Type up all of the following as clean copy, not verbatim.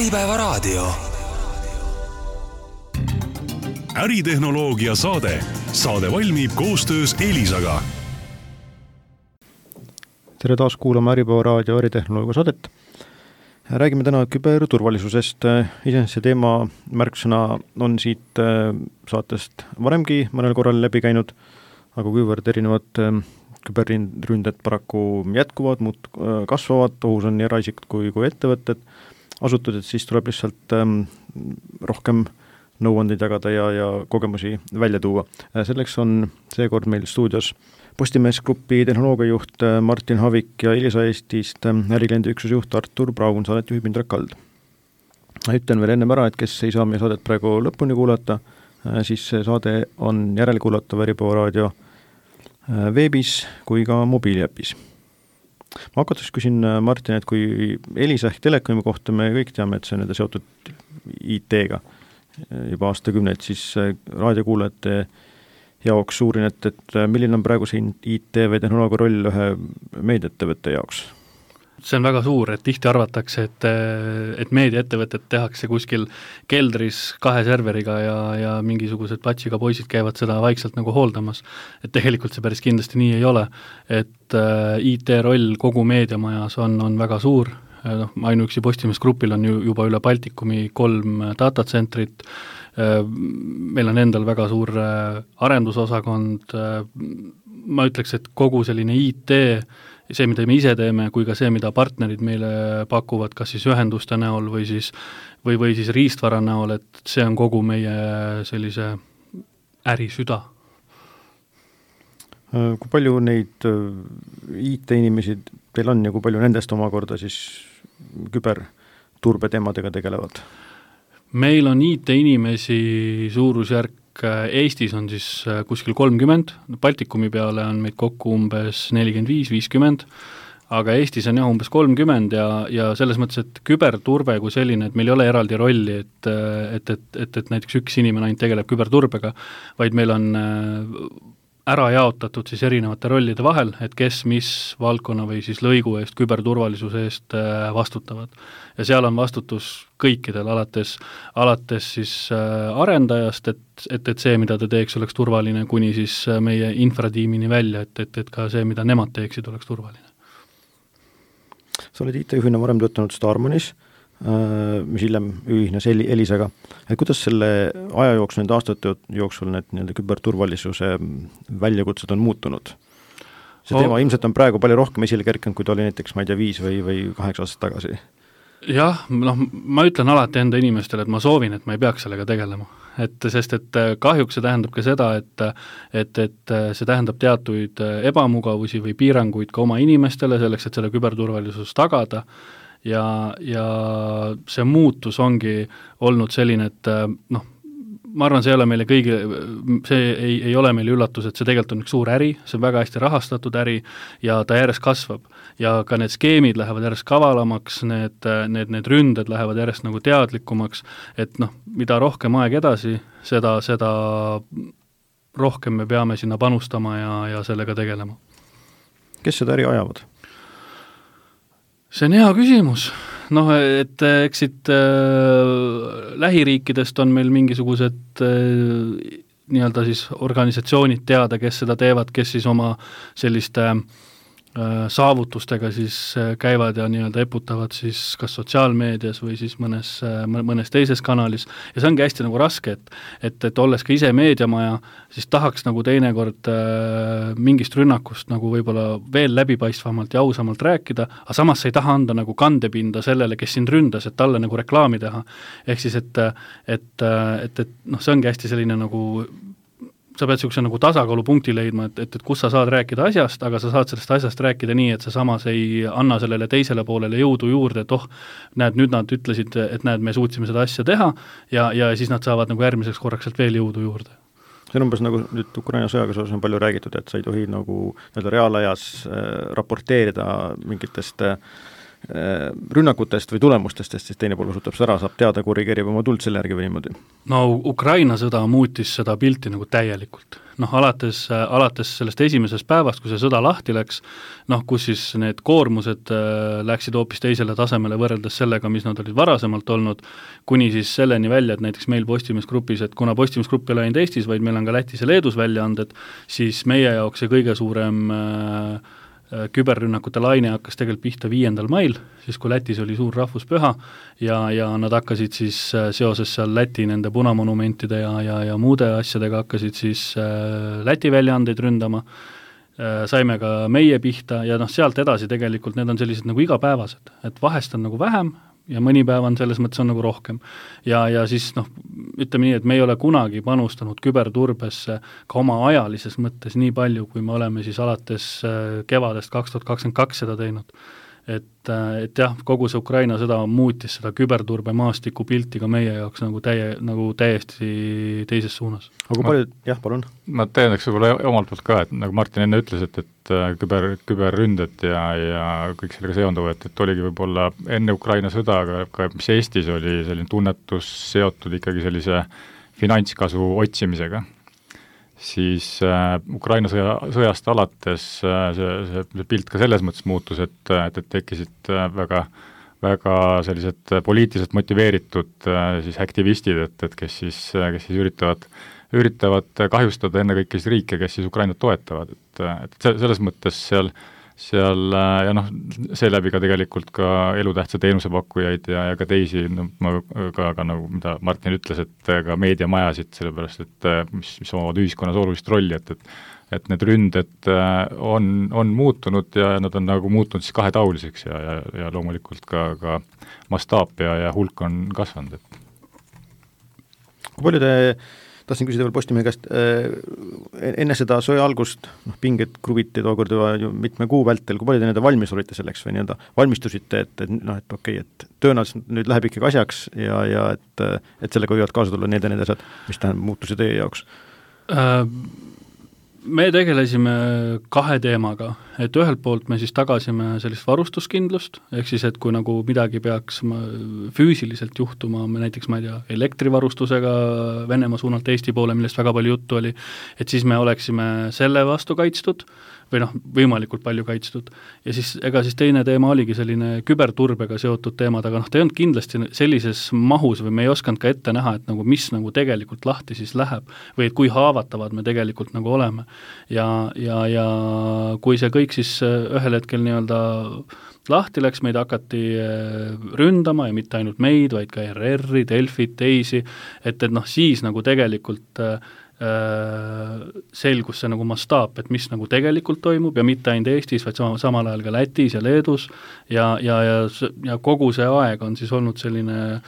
Äripäevaraadio. Äritehnoloogia saade. Saade valmib koostöös Elisaga. Tere taas kuulama Äripäevaraadio äritehnoloogia saadet. Räägime täna küberturvalisusest. Iseenesest see teema märksõna on siit saatest varemgi mõnel korral läbi käinud, aga kuivõrd erinevad küberründed paraku jätkuvad, muud kasvavad, ohus on nii eraisikud kui ettevõtted, asutused, siis tuleb lihtsalt rohkem nõuandeid jagada ja kogemusi välja tuua. Selleks on seekord meil stuudios Postimees Grupi tehnoloogiajuht Martin Havik ja Elisa Eestist ärikliendi üksusjuht Artur Braun, saadet juhib Indrek Kald. Ütlen veel ennem ära, et kes ei saa meie saadet praegu lõpuni kuulata, siis see saade on järelkuulatav Äripäevaraadio veebis kui ka mobiiliäpis. Ma hakates küsin Martin, et kui Elisa ehk Telekomi kohta me kõik teame, et see on seotud IT-ga juba aastakümneid, siis raadiokuulajate jaoks suurin, et milline on praegu siin IT või tehnoloogia roll ühe meediaettevõtte jaoks? See on väga suur, et tihti arvatakse, et meediaettevõtted tehakse kuskil keldris 2 serveriga ja mingisugused patšiga poisid käivad seda vaikselt nagu hooldamas. Et tegelikult see päris kindlasti nii ei ole, et IT roll kogu meediamajas on väga suur. Ainuüksi Postimees Grupil on juba üle Baltikumi 3 datacentrit, meil on endal väga suur arendusosakond, ma ütleks, et kogu selline IT, see, mida me ise teeme, kui ka see, mida partnerid meile pakuvad, kas siis ühenduste näol või siis riistvara näol, et see on kogu meie sellise ärisüda. Kui palju neid IT-inimesi teil on ja kui palju nendest omakorda siis küberturbe teemadega tegelevad? Meil on IT-inimesi suurusjärk Eestis on siis kuskil 30, Baltikumi peale on meid kokku umbes 45-50, aga Eestis on umbes 30 ja selles mõttes, et küberturve kui selline, et meil ei ole eraldi rolli, et näiteks üks inimene ainult tegeleb küberturbega, vaid meil on ära jaotatud siis erinevate rollide vahel, et kes mis valdkonna või siis lõigu eest, küberturvalisuse eest vastutavad. Ja seal on vastutus kõikidel, alates siis arendajast, et see, mida ta teeks, oleks turvaline, kuni siis meie infratiimini välja, et ka see, mida nemad teeksid, oleks turvaline. Sa oled IT-juhina varem töötanud Starmanis, mis hiljem ühines Elisaga. Kuidas selle aja jooksul, nende aastate jooksul need küberturvalisuse väljakutsed on muutunud? See teema ilmselt on praegu palju rohkem esile kerkinud, kui ta oli näiteks, ma ei tea, 5 või 8 aastat tagasi. Jah, ma ütlen alati enda inimestele, et ma soovin, et ma ei peaks sellega tegelema. Sest kahjuks see tähendab ka seda, et see tähendab teatuid ebamugavusi või piiranguid ka oma inimestele selleks, et selle küberturvalisus tagada. Ja see muutus ongi olnud selline, et ma arvan, see ei ole meile kõigi, see ei ole meile üllatus, et see tegelikult on üks suur äri, see on väga hästi rahastatud äri ja ta järjest kasvab. Ja ka need skeemid lähevad järjest kavalamaks, need ründed lähevad järjest nagu teadlikumaks, et mida rohkem aeg edasi, seda rohkem me peame sinna panustama ja sellega tegelema. Kes seda äri ajavad? See on hea küsimus. Et eksid lähiriikidest on meil mingisugused nii-öelda siis organisatsioonid teada, kes seda teevad, kes siis oma selliste saavutustega siis käivad ja nii-öelda eputavad siis kas sotsiaalmeedias või siis mõnes teises kanalis. Ja see ongi hästi nagu raske, et olles ka ise meediamaja, siis tahaks nagu teinekord mingist rünnakust nagu võib-olla veel läbipaistvamalt ja ausamalt rääkida, aga samas sa ei taha anda nagu kandepinda sellele, kes sind ründas, et talle nagu reklaami teha. Ehk siis, et see ongi hästi selline nagu sa pead niisuguse nagu tasakaalupunkti leidma, et kus sa saad rääkida asjast, aga sa saad sellest asjast rääkida nii, et sa samas ei anna sellele teisele poolele jõudu juurde, et näed, nüüd nad ütlesid, et näed, me suutsime seda asja teha ja siis nad saavad nagu järgmiseks korraks sealt veel jõudu juurde. See on umbes nagu nüüd Ukraina sõjaga seoses on palju räägitud, et sa ei tohi nagu reaalajas raporteerida mingitest rünnakutest või tulemustest, sest siis teine pool osutab seda ära, saab teada, korrigeerib oma tuld selle järgi või niimoodi? No Ukraina sõda muutis seda pilti nagu täielikult. Alates sellest esimesest päevast, kui see sõda lahti läks, kus siis need koormused läksid hoopis teisele tasemele võrreldes sellega, mis nad olid varasemalt olnud, kuni siis selleni välja, et näiteks meil Postimees Grupis, et kuna Postimees Grupp ei ole ainult Eestis, vaid meil on ka Lätis ja Leedus väljaanded, siis meie jaoks see kõige suurem küberrünnakute laine hakkas tegelikult pihta 5. mail, siis kui Lätis oli suur rahvuspüha ja nad hakkasid siis seoses seal Läti nende punamonumentide ja muude asjadega hakkasid siis Läti väljaandeid ründama, saime ka meie pihta ja sealt edasi tegelikult need on sellised nagu igapäevased, et vahest on nagu vähem ja mõni päev on selles mõttes on nagu rohkem. Ja siis ütleme nii, et me ei ole kunagi panustanud küberturbesse ka oma ajalises mõttes nii palju, kui me oleme siis alates kevadest 2022 seda teinud. Et jah, kogu see Ukraina sõda muutis seda küberturbe maastiku pilti ka meie jaoks nagu täiesti teises suunas. Aga palju, jah, palun? Ma tähendaks võib-olla omalt poolt ka, et nagu Martin enne ütles, et küberründed ja kõik sellega seonduvad, et oligi võib-olla enne Ukraina sõda, aga ka mis Eestis oli selline tunnetus seotud ikkagi sellise finantskasu otsimisega, siis Ukraina sõjast alates see pilt ka selles mõttes muutus, et tekkisid väga sellised poliitiliselt motiveeritud siis aktivistid, et kes siis üritavad kahjustada ennekõike siis riike, kes siis Ukrainat toetavad, et selles mõttes seal ja seeläbi ka tegelikult ka elutähtsa teenusepakkujaid ja ka teisi, ka nagu mida Martin ütles, et ka meediamajasid, sellepärast et mis omavad ühiskonnas olulist rolli, et need ründed on muutunud ja nad on nagu muutunud siis kahetaoliseks ja loomulikult ka mastaap ja hulk on kasvanud. Kui palju tahtsin küsida veel Postimehe käest, enne seda sõja algust, pinged kruviti tookord juba mitme kuu vältel, kui palju te nende valmis olite selleks või valmistusite, et okei, et tõenäoliselt nüüd läheb ikkagi asjaks ja et sellega võivad kaasa tulla need asjad, mis tähendab muutusi teie jaoks? Me tegelesime 2 teemaga, et ühelt poolt me siis tagasime sellist varustuskindlust, ehk siis, et kui nagu midagi peaks füüsiliselt juhtuma, näiteks ma ei tea, elektrivarustusega Venemaa suunalt Eesti poole, millest väga palju juttu oli, et siis me oleksime selle vastu kaitstud või võimalikult palju kaitstud. Ja siis teine teema oligi selline küberturbega seotud teemad, aga ta ei olnud kindlasti sellises mahus või me ei osanud ka ette näha, et nagu mis nagu tegelikult lahti siis läheb või et kui haavatavad me tegelikult nagu oleme. Ja kui see kõik siis ühel hetkel nii-öelda lahti läks, meid hakati ründama ja mitte ainult meid, vaid ka RR-i, Delfit, teisi, et siis nagu tegelikult selgus see nagu mastaap, et mis nagu tegelikult toimub ja mitte ainult Eestis, vaid samal ajal ka Lätis ja Leedus ja kogu see aeg on siis olnud selline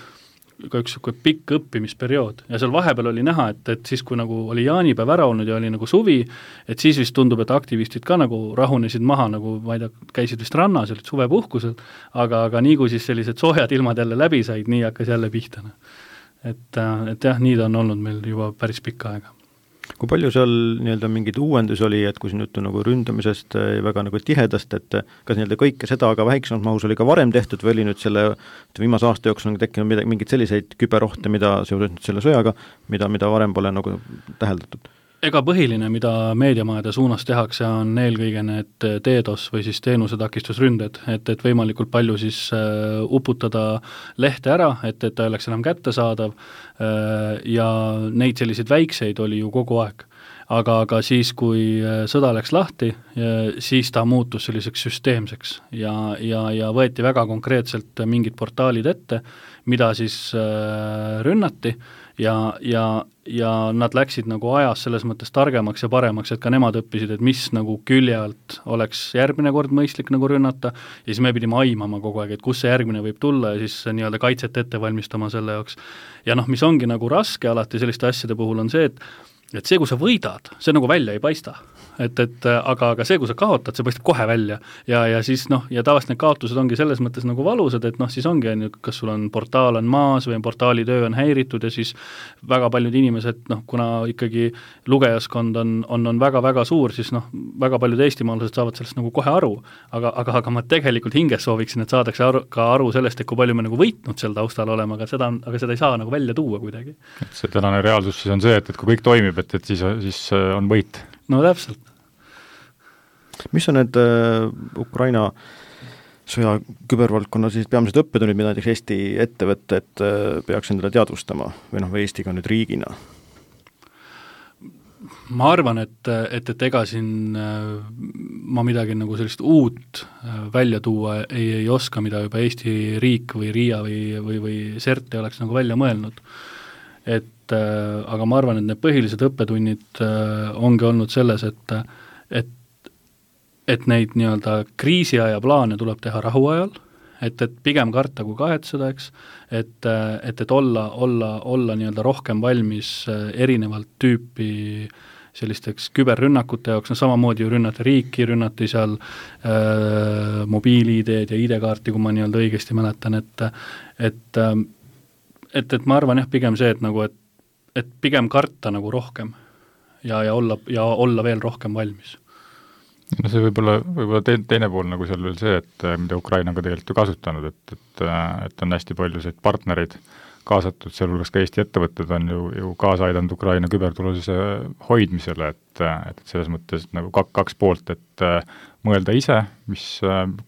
ka üks pikk õppimisperiood ja seal vahepeal oli näha, et siis kui nagu oli jaanipäev ära olnud ja oli nagu suvi, et siis vist tundub, et aktivistid ka nagu rahunesid maha, nagu ma ei tea, käisid vist rannas, olid suvepuhkusel, aga nii kui siis sellised soojad ilmad jälle läbi said, nii hakkas jälle pihta. Et jah, nii ta on olnud meil juba päris pikka aega. Kui palju seal nii-öelda mingid uuendus oli, et kui siin juttu nagu ründamisest väga nagu tihedast, et kas nii-öelda kõike seda aga väiksemalt mahus oli ka varem tehtud või oli nüüd selle viimase aasta jooksul on tekkinud mingid selliseid küberohte, mida seoses selle sõjaga, mida varem pole nagu täheldatud? Ega põhiline, mida meediamajade suunas tehakse, on eelkõige need DDoS või siis teenusetakistusründed, et võimalikult palju siis uputada lehte ära, et ta oleks enam kättesaadav ja neid selliseid väikseid oli ju kogu aeg. Aga siis, kui sõda läks lahti, siis ta muutus selliseks süsteemseks ja võeti väga konkreetselt mingid portaalid ette, mida siis rünnati ja nad läksid nagu ajas selles mõttes targemaks ja paremaks, et ka nemad õppisid, et mis nagu külje alt oleks järgmine kord mõistlik nagu rünnata ja siis me pidime aimama kogu aeg, et kus see järgmine võib tulla ja siis nii-öelda kaitset ette valmistama selle jaoks. Ja mis ongi nagu raske alati selliste asjade puhul on see, et see, kui sa võidad, see nagu välja ei paista. aga see, kui sa kaotad, see paistab kohe välja ja siis ja tavaliselt need kaotused ongi selles mõttes nagu valusad, et siis ongi, kas sul on portaal on maas või portaali töö on häiritud ja siis väga paljud inimesed, kuna ikkagi lugejaskond on väga-väga suur, siis väga paljud eestimaalased saavad sellest nagu kohe aru, aga ma tegelikult hinges sooviksin, et saadakse aru sellest, et kui palju me nagu võitnud seal taustal olema, aga seda ei saa nagu välja tuua kuidagi. Et see tänane reaalsus siis on see, et kui kõik toimib, et siis on võit. No täpselt. Mis on need Ukraina sõja kübervaldkonna siis peamised õppetunnid, mida näiteks Eesti ettevõtted peaks endale teadvustama või Eesti ka nüüd riigina? Ma arvan, et ega siin ma midagi nagu sellist uut välja tuua ei oska, mida juba Eesti riik või RIA või CERT ei oleks nagu välja mõelnud. Aga ma arvan, et need põhilised õppetunnid ongi olnud selles, et neid nii-öelda kriisiaja plaane tuleb teha rahuajal, et pigem karta kui kahetseda, eks, et olla nii-öelda rohkem valmis erinevalt tüüpi sellisteks küberrünnakute jaoks, samamoodi ju rünnati riiki, rünnati seal mobiil-ID-d ja ID-kaarti, kui ma nii-öelda õigesti mäletan, et ma arvan pigem see, et pigem karta nagu rohkem ja olla veel rohkem valmis. No see võib-olla teine pool nagu seal veel see, et mida Ukraina on ka tegelikult ju kasutanud, et on hästi palju selliseid partnereid kaasatud, sealhulgas ka Eesti ettevõtted on ju kaasa aidanud Ukraina küberturvalisuse hoidmisele, et selles mõttes nagu kaks poolt, et mõelda ise,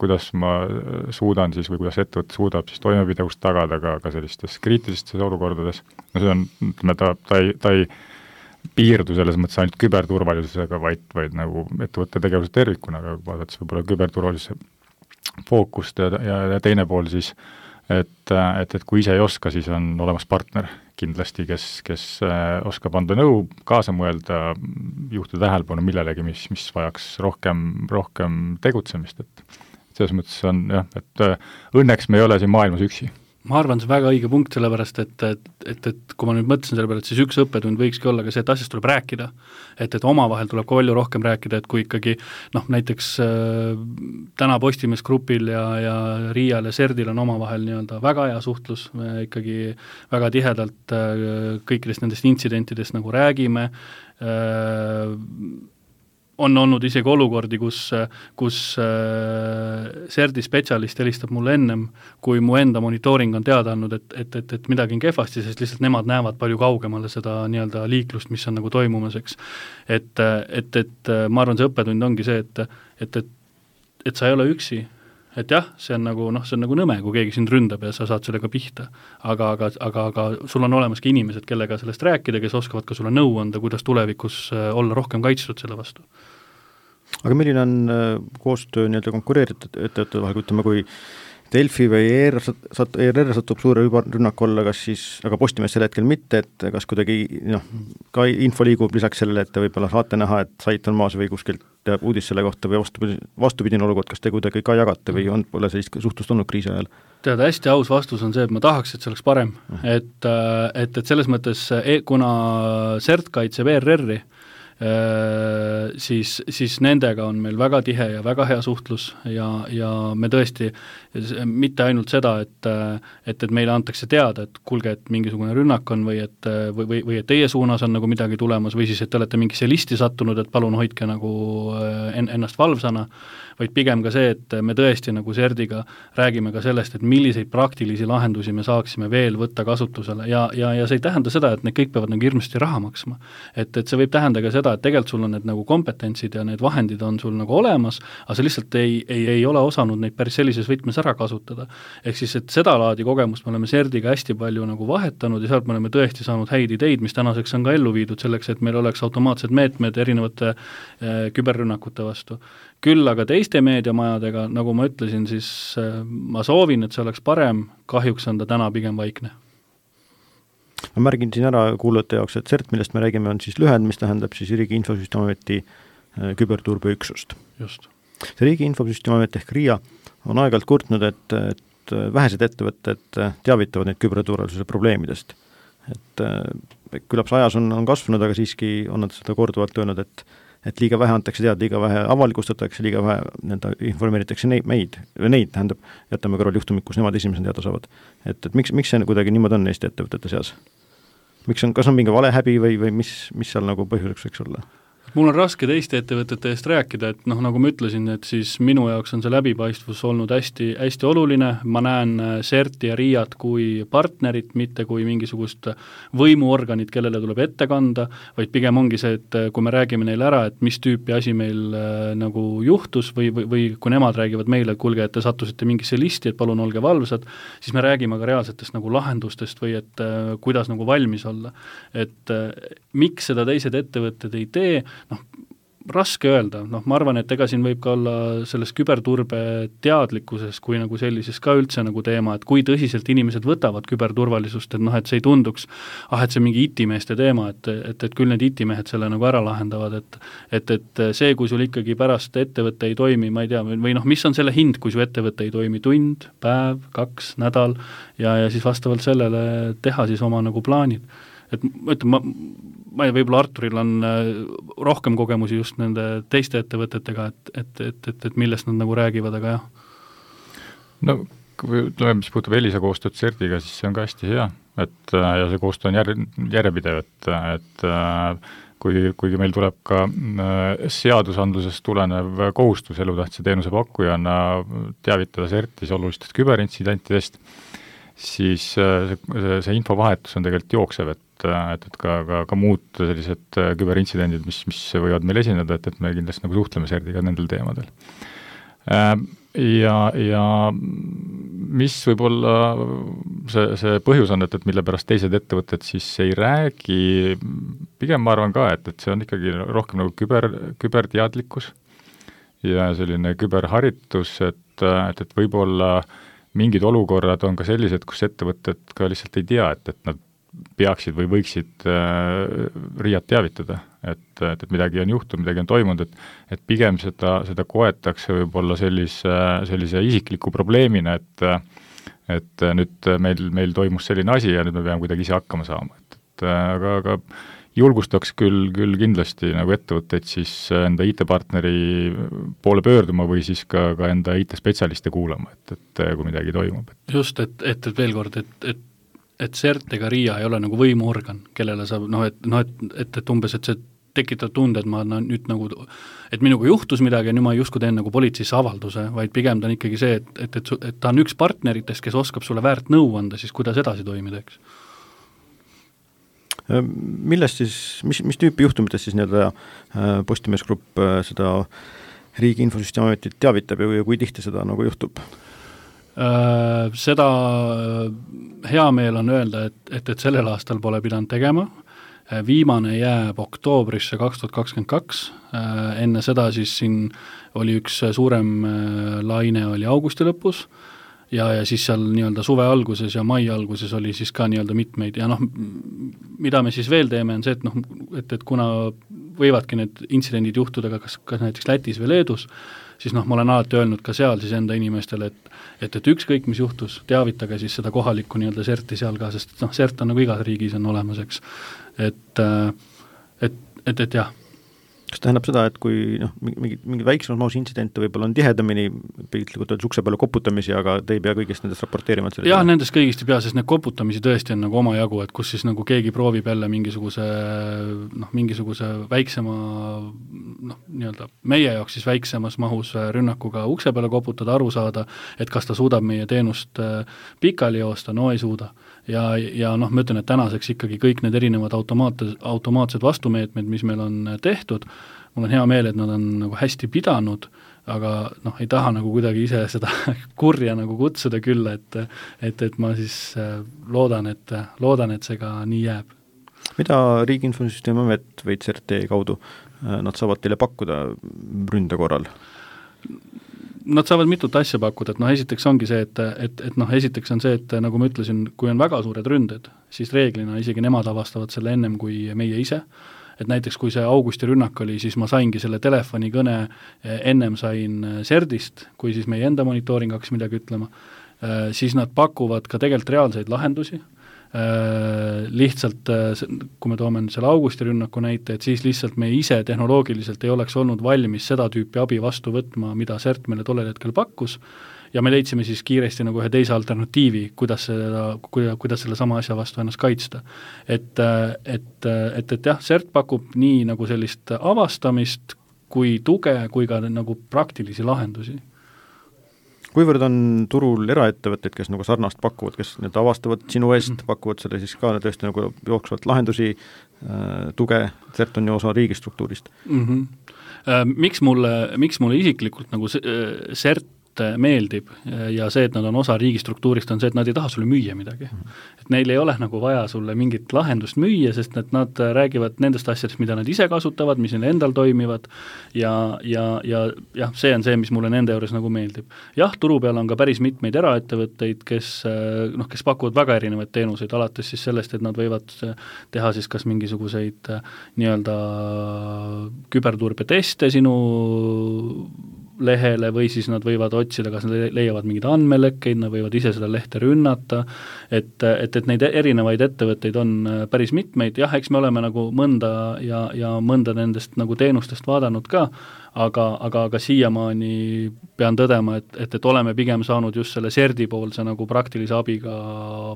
kuidas ma suudan siis või kuidas ettevõte suudab siis toimepidevust tagada ka sellistes kriitilistes olukordades. No see on, ütleme, ta ei piirdu selles mõttes ainult küberturvalisusega, vaid nagu ettevõtte tegevuse tervikuna, aga vaadates võib-olla küberturvalisuse fookust ja teine pool siis, et kui ise ei oska, siis on olemas partner kindlasti, kes oskab anda nõu, kaasa mõelda, juhtida tähelepanu millelegi, mis vajaks rohkem tegutsemist, et selles mõttes on jah, et õnneks me ei ole siin maailmas üksi. Ma arvan, see väga õige punkt, sellepärast, et kui ma nüüd mõtlesin selle peale, et siis üks õppetund võikski olla ka see, et asjast tuleb rääkida, et omavahel tuleb ka palju rohkem rääkida, et kui ikkagi näiteks täna Postimees Grupil ja RIA-l ja CERT-il on omavahel nii-öelda väga hea suhtlus, me ikkagi väga tihedalt kõikidest nendest intsidentidest nagu räägime, on olnud isegi olukordi, kus CERT-i spetsialist helistab mulle ennem, kui mu enda monitooring on teada andnud, et midagi on kehvasti, sest lihtsalt nemad näevad palju kaugemale seda nii-öelda liiklust, mis on nagu toimumas, eks. Et ma arvan, see õppetund ongi see, et sa ei ole üksi, et jah, see on nagu nõme, kui keegi sind ründab ja sa saad sellega pihta, aga sul on olemas ka inimesed, kellega sellest rääkida, kes oskavad ka sulle nõu anda, kuidas tulevikus olla rohkem kaitstud selle vastu. Aga milline on koostöö nii-öelda konkureeritud ettevõtete vahel, ütleme, kui Delfi või ERR satub suure rünnaku alla, kas siis, aga Postimees sel hetkel mitte, et kas kuidagi ka info liigub lisaks sellele, et võib-olla saate näha, et sait on maas või kuskilt teab uudis selle kohta või vastupidine olukord, kas te kuidagi ka jagate või pole sellist suhtlust olnud kriisi ajal? Teada, hästi aus vastus on see, et ma tahaks, et see oleks parem, et selles mõttes, kuna CERT kaitseb ERR-i, siis nendega on meil väga tihe ja väga hea suhtlus ja me tõesti mitte ainult seda, et meile antakse teada, et kuulge, et mingisugune rünnak on või et teie suunas on nagu midagi tulemas või siis, et te olete mingisse listi sattunud, et palun hoidke nagu ennast valvsana, vaid pigem ka see, et me tõesti nagu CERT-iga räägime ka sellest, et milliseid praktilisi lahendusi me saaksime veel võtta kasutusele ja see ei tähenda seda, et need kõik peavad nagu hirmsasti raha maksma. Et see võib tähenda ka seda, et tegelikult sul on need nagu kompetentsid ja need vahendid on sul nagu olemas, aga sa lihtsalt ei ole osanud neid päris sellises võtmes ära kasutada. Ehk siis, et seda laadi kogemust me oleme CERT-iga hästi palju nagu vahetanud ja sealt me oleme tõesti saanud häid ideid, mis tänaseks on ka ellu viidud selleks, et meil oleks automaatsed meetmed erinevate küberrünnakute vastu. Küll aga teiste meediamajadega, nagu ma ütlesin, siis ma soovin, et see oleks parem, kahjuks on ta täna pigem vaikne. Ma märgin siin ära kuulajate jaoks, et CERT, millest me räägime, on siis lühend, mis tähendab siis Riigi Infosüsteemiameti küberturbeüksust. Just. See Riigi Infosüsteemiamet ehk RIA on aeg-ajalt kurtnud, et vähesed ettevõtted teavitavad neid küberturvalisuse probleemidest. Et küllap see ajas on kasvanud, aga siiski on nad seda korduvalt öelnud, et et liiga vähe antakse teada, liiga vähe avalikustatakse, liiga vähe informeeritakse neid, tähendab, jätame kõrval juhtumid, kus nemad esimesena teada saavad. Et miks see kuidagi niimoodi on Eesti ettevõtete seas? Kas on mingi valehäbi või mis seal nagu põhjuseks võiks olla? Mul on raske teiste ettevõtete eest rääkida, et nagu ma ütlesin, et siis minu jaoks on see läbipaistvus olnud hästi, hästi oluline, ma näen CERT-i ja RIA-t kui partnerit, mitte kui mingisugust võimuorganit, kellele tuleb ette kanda, vaid pigem ongi see, et kui me räägime neile ära, et mis tüüpi asi meil nagu juhtus või kui nemad räägivad meile, et kuulge, et te sattusite mingisse listi, et palun olge valvsad, siis me räägime ka reaalsetest nagu lahendustest või et kuidas nagu valmis olla. Et miks seda teised ettevõtted ei tee, raske öelda, ma arvan, et ega siin võib ka olla selles küberturbe teadlikkuses kui nagu sellises ka üldse nagu teema, et kui tõsiselt inimesed võtavad küberturvalisust, et et see ei tunduks, et see mingi IT-meeste teema, et küll need IT-mehed selle nagu ära lahendavad, et see, kui sul ikkagi pärast ettevõte ei toimi, ma ei tea, või mis on selle hind, kui su ettevõte ei toimi tund, päev, 2 nädal ja siis vastavalt sellele teha siis oma nagu plaanid. Et ma ei võib-olla Arturil on rohkem kogemusi just nende teiste ettevõtetega, et millest nad nagu räägivad, aga jah. No, mis puutub Elisa koostööd CERT-iga, siis see on ka hästi hea, ja see koostöö on järjepidev, et kuigi meil tuleb ka seadusandlusest tulenev kohustus elutähtsa teenuse pakkujana teavitada CERT-is olulistest küberintsidentidest, siis see infovahetus on tegelikult jooksev, et ka muud sellised küberintsidendid, mis võivad meil esineda, et me kindlasti nagu suhtleme CERT-iga nendel teemadel. Ja mis võib-olla see põhjus on, et mille pärast teised ettevõtted siis ei räägi, pigem ma arvan ka, et see on ikkagi rohkem nagu küberteadlikkus ja selline küberharitus, et võib-olla mingid olukorrad on ka sellised, kus ettevõtted ka lihtsalt ei tea, et nad peaksid või võiksid RIA-t teavitada, et midagi on juhtunud, midagi on toimunud, et pigem seda koetakse võib-olla sellise isikliku probleemina, et nüüd meil toimus selline asi ja nüüd me peame kuidagi ise hakkama saama, aga julgustaks küll kindlasti nagu ettevõtteid siis enda IT-partneri poole pöörduma või siis ka enda IT-spetsialiste kuulama, et kui midagi toimub. Just, et veel kord, et CERT ega RIA ei ole nagu võimuorgan, kellele saab, et umbes, et see tekitab tunde, et ma nüüd nagu, et minuga juhtus midagi ja nüüd ma justkui teen nagu politseisse avalduse, vaid pigem ta on ikkagi see, et ta on üks partneritest, kes oskab sulle väärt nõu anda, siis kuidas edasi toimida, eks? Millest siis, mis tüüpi juhtumitest siis nii-öelda Postimees Grupp seda Riigi Infosüsteemi Ametit teavitab ja kui tihti seda nagu juhtub? Seda hea meel on öelda, et sellel aastal pole pidanud tegema, viimane jääb oktoobrisse 2022, enne seda siis siin oli üks suurem laine oli augusti lõpus ja siis seal nii-öelda suve alguses ja mai alguses oli siis ka nii-öelda mitmeid ja mida me siis veel teeme, on see, et kuna võivadki need intsidendid juhtuda kas näiteks Lätis või Leedus, siis ma olen alati öelnud ka seal siis enda inimestele, et ükskõik, mis juhtus, teavitage siis seda kohalikku nii-öelda CERT-i seal ka, sest CERT on nagu igas riigis on olemas, eks. Et jah. Kas tähendab seda, et kui mingi väiksemas mahus intsidente võib-olla on tihedamini piltlikult öeldes ukse peale koputamisi, aga te ei pea kõigest nendest raporteerima? Jah, nendest kõigist ei pea, sest need koputamisi tõesti on nagu oma jagu, et kus siis nagu keegi proovib jälle mingisuguse väiksema, nii-öelda meie jaoks siis väiksemas mahus rünnakuga ukse peale koputada, aru saada, et kas ta suudab meie teenust pikali joosta, no ei suuda. Ja ma ütlen, et tänaseks ikkagi kõik need erinevad automaatsed vastumeetmed, mis meil on tehtud, mul on hea meel, et nad on nagu hästi pidanud, aga ei taha nagu kuidagi ise seda kurja nagu kutsuda küll, et ma siis loodan, et see ka nii jääb. Mida Riigi Infosüsteemi Amet või CERT kaudu nad saavad teile pakkuda ründe korral? Nad saavad mitut asja pakkuda, et esiteks ongi see, et esiteks on see, et nagu ma ütlesin, kui on väga suured ründed, siis reeglina isegi nemad avastavad selle ennem kui meie ise, et näiteks kui see augusti rünnak oli, siis ma saingi selle telefonikõne, ennem sain CERT-ist, kui siis meie enda monitooring hakkas midagi ütlema, siis nad pakuvad ka tegelikult reaalseid lahendusi, lihtsalt, kui me toome selle Augusti rünnaku näite, et siis lihtsalt me ise tehnoloogiliselt ei oleks olnud valmis seda tüüpi abi vastu võtma, mida CERT meile tollel hetkel pakkus, ja me leidsime siis kiiresti nagu ühe teise alternatiivi, kuidas selle sama asja vastu ennast kaitsta. Et jah, CERT pakub nii nagu sellist avastamist kui tuge, kui ka nagu praktilisi lahendusi. Kuivõrd on turul eraettevõtteid, kes nagu sarnast pakuvad, kes need avastavad sinu eest, pakuvad selle siis ka tõesti nagu jooksvalt lahendusi, tuge, CERT on ju osa riigistruktuurist? Miks mulle isiklikult nagu CERT meeldib ja see, et nad on osa riigistruktuurist, on see, et nad ei taha sulle müüa midagi. Et neil ei ole nagu vaja sulle mingit lahendust müüa, sest et nad räägivad nendest asjadest, mida nad ise kasutavad, mis neil endal toimivad ja see on see, mis mulle nende juures nagu meeldib. Jah, turu peal on ka päris mitmeid eraettevõtteid, kes pakuvad väga erinevaid teenuseid, alates siis sellest, et nad võivad teha siis kas mingisuguseid nii-öelda küberturbeteste sinu lehele või siis nad võivad otsida, kas nad leiavad mingeid andmelekkeid, nad võivad ise seda lehte rünnata, et neid erinevaid ettevõtteid on päris mitmeid, jah, eks me oleme nagu mõnda ja mõnda nendest nagu teenustest vaadanud ka, aga siiamaani pean tõdema, et oleme pigem saanud just selle CERT-i poolse nagu praktilise abiga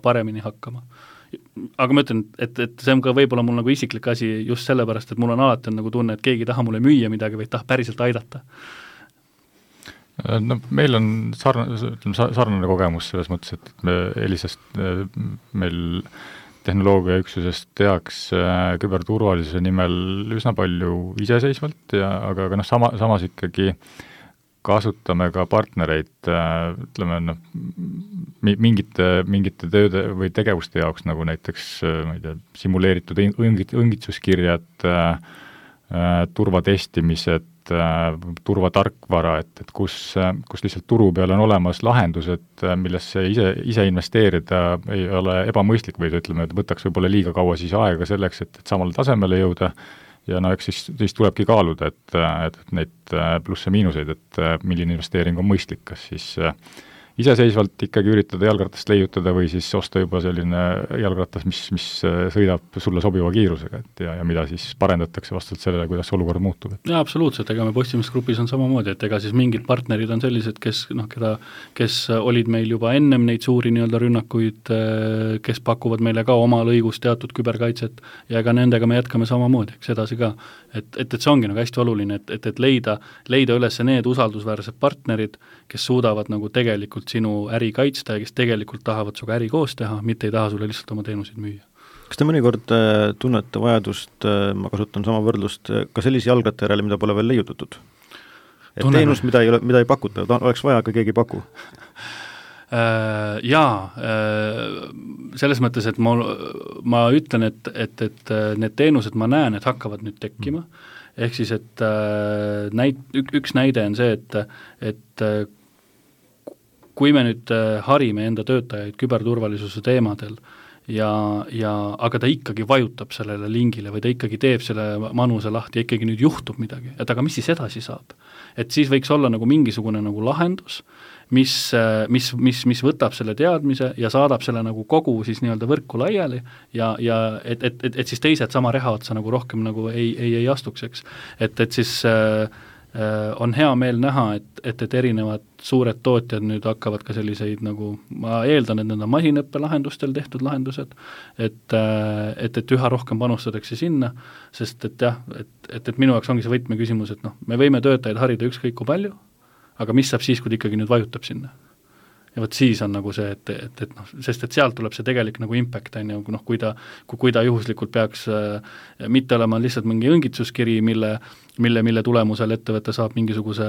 paremini hakkama. Aga ma ütlen, et see on ka võib-olla mul nagu isiklik asi just sellepärast, et mul on alati nagu tunne, et keegi ei taha mulle müüa midagi, vaid tahab päriselt aidata. No meil on sarnane kogemus selles mõttes, et me Elisast meil tehnoloogiaüksusest tehakse küberturvalisuse nimel üsna palju iseseisvalt aga samas ikkagi kasutame ka partnereid, ütleme, mingite tööde või tegevuste jaoks, nagu näiteks ma ei tea, simuleeritud õngitsuskirjad, turvatestimised, turvatarkvara, et kus lihtsalt turu peal on olemas lahendused, millesse ise investeerida ei ole ebamõistlik või ütleme, et võtaks võib-olla liiga kaua siis aega selleks, et samale tasemele jõuda ja eks siis tulebki kaaluda, et neid plusse-miinuseid, et milline investeering on mõistlik, kas siis iseseisvalt ikkagi üritada jalgratast leiutada või siis osta juba selline jalgratas, mis sõidab sulle sobiva kiirusega, ja mida siis parendatakse vastavalt sellele, kuidas olukord muutub. Jaa, absoluutselt, ega me Postimisgrupis on samamoodi, et ega siis mingid partnerid on sellised, kes olid meil juba ennem neid suuri nii-öelda rünnakuid, kes pakuvad meile ka oma lõigus teatud küberkaitset ja ega nendega me jätkame samamoodi, eks edasi ka. Et see ongi nagu hästi oluline, et leida üles need usaldusväärsed partnerid, kes suudavad nagu tegelikult sinu äri kaitsta ja kes tegelikult tahavad suga äri koos teha, mitte ei taha sulle lihtsalt oma teenuseid müüa. Kas te mõnikord tunnete vajadust, ma kasutan sama võrdlust, ka sellise jalgratta järele, mida pole veel leiutatud? Et teenus, mida ei pakuta, oleks vaja, aga keegi ei paku? Selles mõttes, et ma ütlen, et need teenused ma näen, et hakkavad nüüd tekkima, ehk siis, et üks näide on see, et kui me nüüd harime enda töötajaid küberturvalisuse teemadel aga ta ikkagi vajutab sellele lingile või ta ikkagi teeb selle manuse lahti ja ikkagi nüüd juhtub midagi, et aga mis siis edasi saab? Et siis võiks olla nagu mingisugune nagu lahendus, mis võtab selle teadmise ja saadab selle nagu kogu siis nii-öelda võrku laiali ja et siis teised sama reha otsa nagu rohkem nagu ei astuks, eks. Et siis on hea meel näha, et erinevad suured tootjad nüüd hakkavad ka selliseid nagu, ma eeldan, et need on masinõppe lahendustel tehtud lahendused, et üha rohkem panustatakse sinna, sest et jah, et minu jaoks ongi see võtmeküsimus, et me võime töötajaid harida ükskõik kui palju, aga mis saab siis, kui ta ikkagi nüüd vajutab sinna? Ja võt siis on nagu see, et sest et sealt tuleb see tegelik nagu impact, kui ta juhuslikult peaks mitte olema lihtsalt mingi õngitsuskiri, mille tulemusel ettevõte saab mingisuguse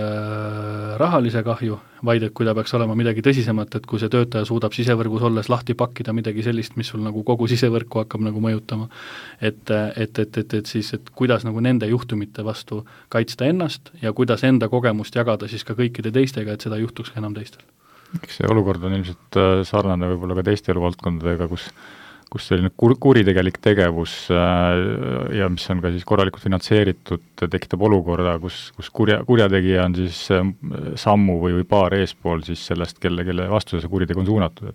rahalise kahju, vaid et kui ta peaks olema midagi tõsisemat, et kui see töötaja suudab sisevõrgus olles lahti pakkida midagi sellist, mis sul nagu kogu sisevõrku hakkab nagu mõjutama, et siis, et kuidas nagu nende juhtumite vastu kaitsta ennast ja kuidas enda kogemust jagada siis ka kõikide teistega, et seda juhtuks enam teistel. Eks see olukord on ilmselt sarnane võib-olla ka teiste eluvaldkondadega, kus selline kuritegelik tegevus ja mis on ka siis korralikult finantseeritud, tekitab olukorda, kus kurjategija on siis sammu või paar eespool siis sellest, kelle vastu see kuritegu on suunatud.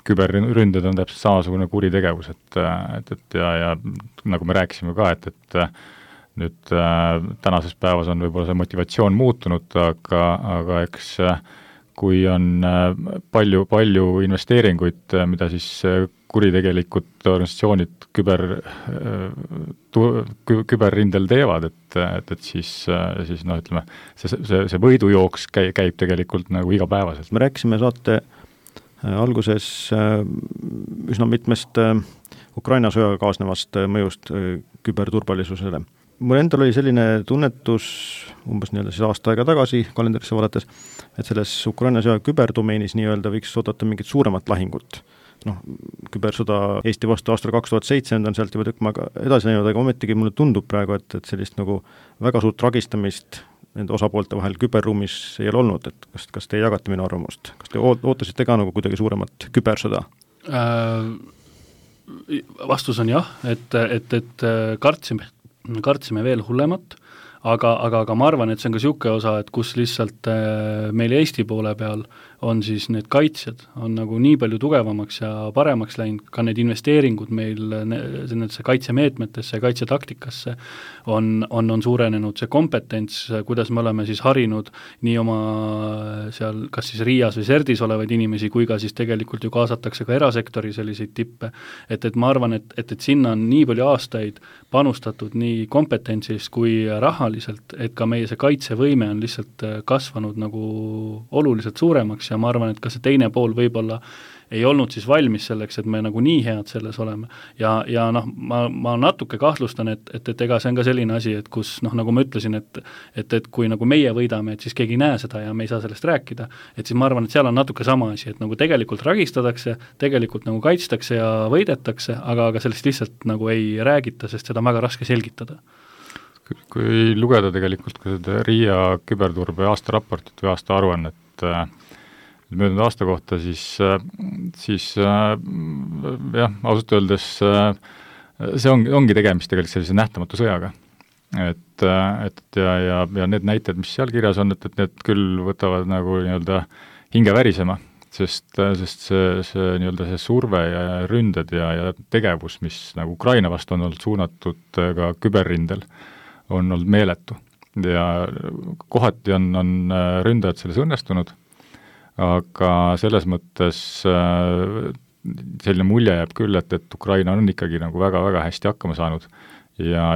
küberründed on täpselt samasugune kuritegevus, et ja nagu me rääkisime ka, et nüüd tänases päevas on võib-olla see motivatsioon muutunud, aga eks kui on palju investeeringuid, mida siis kuritegelikud organisatsioonid küberrindel teevad, et siis noh, ütleme, see võidujooks käib tegelikult nagu igapäevaselt. Me rääkisime saate alguses üsna mitmest Ukraina sõjaga kaasnevast mõjust küberturvalisusele. Mul endal oli selline tunnetus umbes nii-öelda siis aasta aega tagasi kalendarisse vaadates, et selles Ukraina sõja küberdomeenis nii-öelda võiks oodata mingit suuremat lahingut. Kübersõda Eesti vastu aastal 2007 on sealt juba tükk maga edasi läinud, aga ometigi mulle tundub praegu, et sellist nagu väga suurt tragistamist nende osapoolte vahel küberruumis ei ole olnud, et kas te jagate minu arvamust? Kas te ootasite ka nagu kuidagi suuremat kübersõda? Vastus on jah, et kartsime veel hullemat, aga ma arvan, et see on ka niisugune osa, et kus lihtsalt meil Eesti poole peal on siis need kaitsjad, on nagu nii palju tugevamaks ja paremaks läinud, ka need investeeringud meil nendesse kaitsemeetmetesse ja kaitsetaktikasse on suurenenud, see kompetents, kuidas me oleme siis harinud nii oma seal kas siis Riias või Serdis olevaid inimesi, kui ka siis tegelikult ju kaasatakse ka erasektori selliseid tippe, et ma arvan, et sinna on nii palju aastaid panustatud nii kompetentsis kui rahaliselt, et ka meie see kaitsevõime on lihtsalt kasvanud nagu oluliselt suuremaks ja ma arvan, et ka see teine pool võib-olla ei olnud siis valmis selleks, et me nagu nii head selles oleme. Ja noh, ma natuke kahtlustan, et ega see on ka selline asi, et kus noh, nagu ma ütlesin, et kui nagu meie võidame, et siis keegi ei näe seda ja me ei saa sellest rääkida, et siis ma arvan, et seal on natuke sama asi, et nagu tegelikult ragistatakse, tegelikult nagu kaitstakse ja võidetakse, aga sellest lihtsalt nagu ei räägita, sest seda on väga raske selgitada. Kui lugeda tegelikult ka seda Riia küberturbe aastaraportit või aasta aruannet möödunud aasta kohta, siis jah, ausalt öeldes see ongi tegemist tegelikult sellise nähtamatu sõjaga. Ja need näited, mis seal kirjas on, et need küll võtavad nagu nii-öelda hinge värisema, sest see nii-öelda see surve ja ründed ja tegevus, mis nagu Ukraina vastu on olnud suunatud ka küberrindel, on olnud meeletu. Ja kohati on ründajad selles õnnestunud, aga selles mõttes selline mulje jääb küll, et Ukraina on ikkagi nagu väga-väga hästi hakkama saanud ja